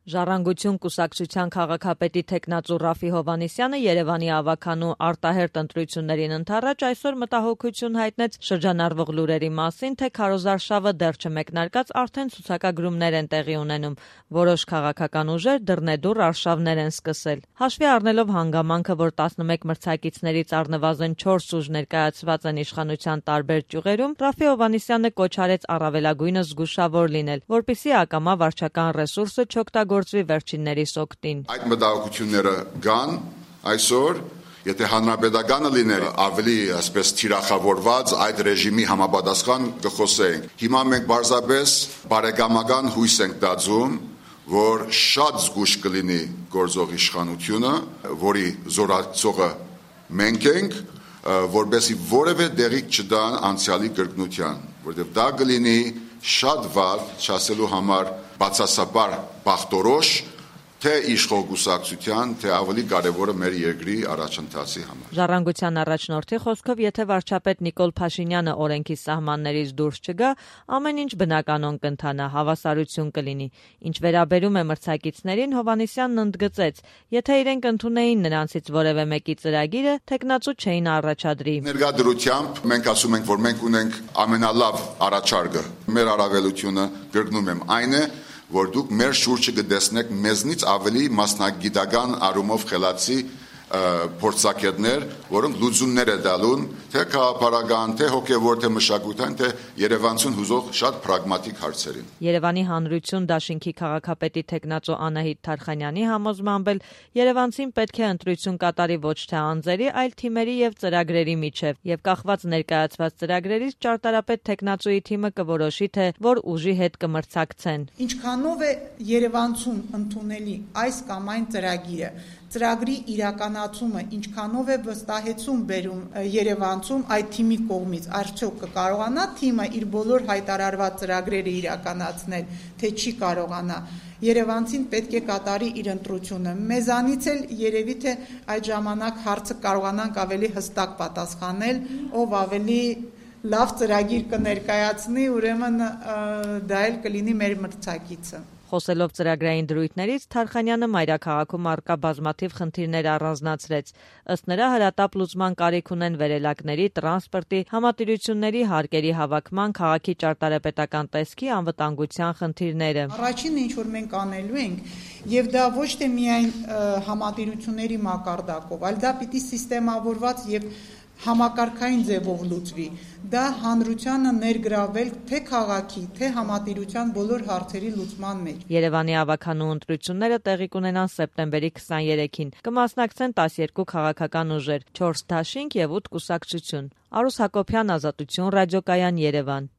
Ժառանգություն կուսակցության քաղաքապետի թեկնածու Ռաֆի Հովհաննիսյանը Երևանի ավագանու արտահերթ ընտրություններին ընդառաջ այսօր մտահոգություն հայտնեց շրջանառվող լուրերի մասին, թե քարոզարշավը դեռ չմեկնարկած արդեն ցուցակագրումներ են տեղի ունենում, որոշ քաղաքական ուժեր դռնեդուռ արշավներ են սկսել։ Հաշվի առնելով հանգամանքը, որ 11 մրցակիցներից առնվազն 4 ուժ ներկայացված են իշխանության տարբեր ճյուղերում, Ռաֆի Հովհաննիսյանը կոչ արեց առավելագույնս զգուշավոր լինել, որպեսզի ակամա վարչական ռեսուրսը չօգտագործվի վերջիններիս օգտին։ Այդ մտահոգությունները կան այսօր, եթե հանրապետականը լիներ ավելի այսպես թիրախավորված այդ ռեժիմի համապատասխան կխոսեինք։ Հիմա մենք պարզապես բարեկամական հույս ենք տածում, որ շատ զգուշ կլինի գործող իշխանությունը, որի զորացողը մենք ենք, որպեսզի որևէ դեղիկ չտան անցյալի կրկնության, որովհետև դա կլինի շատ վատ, չասելու համար բացասաբար բախտորոշ, թե իշխող կուսակցության, թե ավելի կարևորը մեր երկրի առաջընթացի համար։ Ժառանգության առաջնորդի խոսքով, եթե վարչապետ Նիկոլ Փաշինյանը օրենքի սահմաններից դուրս չգա, ամեն ինչ բնականon կընթանա, հավասարություն կլինի։ Ինչ վերաբերում է մրցակիցներին, Հովհաննիսյանն ընդգծեց, եթե իրենք ընդունեին նրանցից որևէ մեկի ծրագիրը, թեկնածու չէին առաջադրի։ Ներկայությամբ մենք ասում ենք, որ մենք ունենք ամենալավ առաջարկը։ Մեր առավելությունը, կրկնում եմ, այն է, որ դուք մեր շուրջը կտեսնեք մեզնից ավելի մասնագիտական առումով խելացի փորձագետներ, որոնք լուծումներ է տալուն, թե քաղաքապարական, թե հոգևոր, թե մշակութային, թե երևանցուն հուզող շատ պրագմատիկ հարցերին։ Երևանի Հանրություն դաշինքի քաղաքապետի թեկնածու Անահիտ Թարխանյանի համոզմամբ էլ երևանցին պետք է ընտրություն կատարի ոչ թե անձերի, այլ թիմերի եւ ծրագրերի միջև, եւ կախված ներկայացված ծրագրերից ճարտարապետ թեկնածուի թիմը կորոշի, թե որ ուժի հետ կմրցակցեն։ Ինչքանով է երևանցուն ընդունելի այս կամ այն ծրագիրը, ծրագրի իրականացումը ինչքանով է վստահեցում բերում երևանցում այդ թիմի կողմից, արդյոք կկարողանա թիմը իր բոլոր հայտարարված ծրագրերը իրականացնել, թե չի կարողանա։ Երևանցին պետք է կատարի իր ընտրությունը։ Մեզանից էլ երևի թե այդ ժամանակ հարցը կարողանանք ավելի հստակ պատասխանել, ով ավելի լավ ծրագիր կներկայացնի, ուրեմն դա էլ կլինի մեր մրցակիցը։ Խոսելով ծրագրային դրույթներից, Թարխանյանը մայրաքաղաքում առկա բազմաթիվ խնդիրներ առանձնացրեց։ Ըստ նրա, հրատապ լուծման կարիք ունեն վերելակների, տրանսպորտի, համատիրությունների հարկերի հավաքման, քաղաքի ճարտարապետական տեսքի, անվտանգության խնդիրները։ Առաջինը, ինչ որ մենք անելու ենք, եւ դա ոչ թե միայն համատիրությունների մակարդակով, այլ դա պիտի սիստեմավորված եւ համակարգային ձևով լուծվի։ Դա հանրությանը ներգրավել թե քաղաքի, թե համատիրության բոլոր հարցերի լուծման մեջ։ Երևանի ավագանու ընտրությունները տեղի կունենան սեպտեմբերի 23-ին։ Կմասնակցեն 12 քաղաքական ուժեր, 4 դաշինք եւ 8 կուսակցություն։ Արուս Հակոբյան, Ազատություն ռադիոկայան, Երևան։